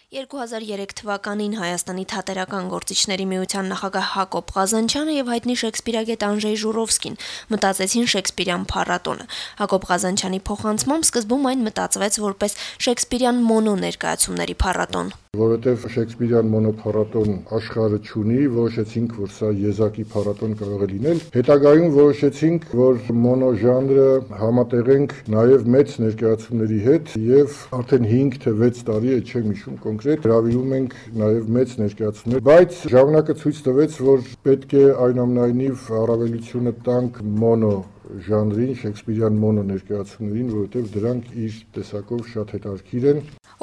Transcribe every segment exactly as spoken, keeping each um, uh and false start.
երկու հազար երեք թվականին Հայաստանի թատերական գործիչների միության նախագահ Հակոբ Ղազանչյանը եւ հայտնի շեքսպիրագետ Անժեյ Ժուրովսկին մտածեցին շեքսպիրյան փառատոնը։ Հակոբ Ղազանչյանի փոխանցմամբ սկզբում այն մտածվեց որպես շեքսպիրյան մոնո ներկայացումների փառատոն։ Որովհետև շեքսպիրյան մոնո փառատոն աշխարհը չունի, որոշեցինք, որ սա եզակի փառատոն կարող է լինել։ Հետագայում որոշեցինք, որ մոնո ժանրը համատեղենք նաև մեծ ներկայացումների հետ եւ արդեն հինգ թե վեց տարի է, չեմ հիշում կոնկրետ, հրավիրում ենք նաև մեծ ներկայացումներ, բայց ժամանակը ցույց տվեց, որ պետք է այնուամենայնիվ առավելությունը տանք մոնո ժանրին, շեքսպիրյան մոնո ներկայացումներին, որովհետև դրանք իր տեսակով շատ հետաքրքիր են։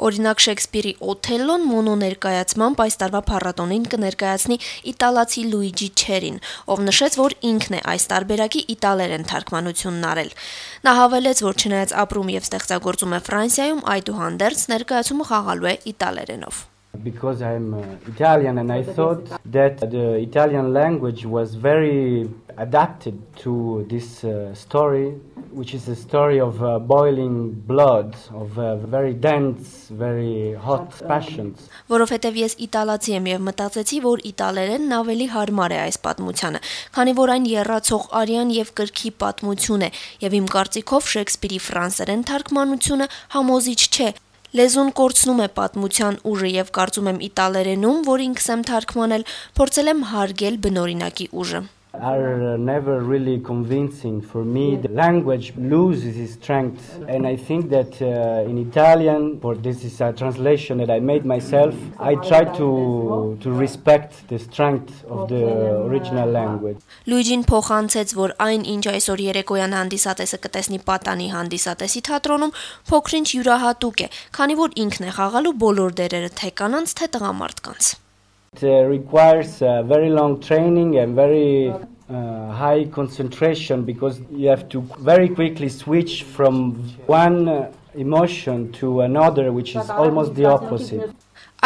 Օրինակ Շեքսպիրի Օթելլոն մոնո ներկայացմամբ այս տարվա փառատոնին կներկայացնի իտալացի Լուիջի Չերին, ով նշեց, որ ինքն է այս տարբերակի իտալերեն թարգմանությունն արել։ Նա հավելեց, որ չնայած ապրում եւ ստեղծագործում է Ֆրանսիայում, այդուհանդերձ ներկայացումը խաղալու է իտալերենով։ Because I'm uh, Italian and I thought that the Italian language was very adapted to this uh, story, which is a story of uh, boiling blood, of uh, very dense, very hot passions. Որովհետև ես իտալացի եմ եւ մտածեցի, որ իտալերենն ավելի հարմար է այս պատմությանը, քանի որ այն եռացող արյան եւ կրքի պատմություն է, եւ իմ կարծիքով Շեքսպիրի ֆրանսերեն թարգմանությունը համոզիչ չէ։ Լեզուն կորցնում է պատմության ուժը եւ կարծում եմ իտալերենում, որ ինքս եմ թարգմանել, փորձել եմ հարգել բնօրինակի ուժը։ Are never really convincing for me. The language loses its strength, and I think that uh, in Italian, for this is a translation that I made myself, I try to to respect the strength of the original language. Լուիջին փոխանցեց, որ այն, ինչ այսօր երեկոյան հանդիսատեսը կտեսնի Պատանի հանդիսատեսի թատրոնում, փոքրինչ յուրահատուկ է, քանի որ ինքն է խաղալու բոլոր դերերը թե կանանց, թե տղամարդկանց։ It uh, requires uh, very long training and very uh, high concentration because you have to very quickly switch from one uh, emotion to another, which is almost the opposite.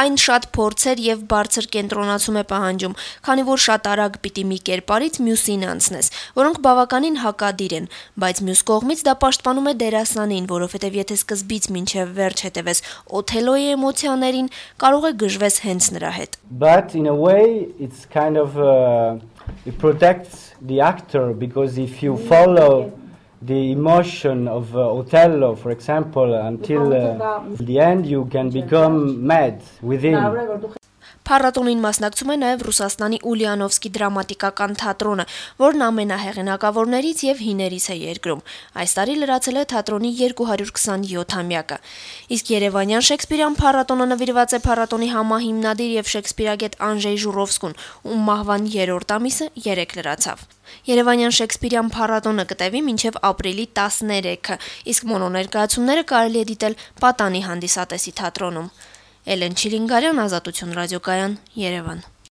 Այն շատ փորձեր եւ բարձր կենտրոնացում է պահանջում, քանի որ շատ արագ պիտի մի կերպարից մյուսին անցնես, որոնք բավականին հակադիր են, բայց մյուս կողմից դա պաշտպանում է դերասանին, որովհետեւ եթե սկզբից մինչեւ վերջ հետևես Օթելլոյի էմոցիաներին, կարող է գժվես հենց նրա հետ։ But in a way it's kind of uh, it protects the actor because if you follow the emotion of uh, Othello, for example, until uh, the end, you can become mad within. Փառատոնին մասնակցում է նաև Ռուսաստանի Ուլիանովսկի դրամատիկական թատրոնը, որն ամենահեղինակավորներից եւ հիներից է երկրում։ Այս տարի լրացել է թատրոնի երկու հարյուր քսաներկու-ամյակը։ Իսկ Երևանյան շեքսպիրյան փառատոնը նվիրված է փառատոնի համահիմնադիր եւ շեքսպիրագետ Անժեյ Ժուրովսկուն, ում մահվան երրորդ ամիսը երեկ լրացավ։ Երևանյան շեքսպիրյան փառատոնը կտևի մինչև ապրիլի տասներեքը, իսկ մոնո ներկայացումները կարելի է դիտել Պատանի հանդիսատեսի թատրոնում։ Էլեն Չիլինգարյան, Ազատություն ռադիոկայան, Երևան։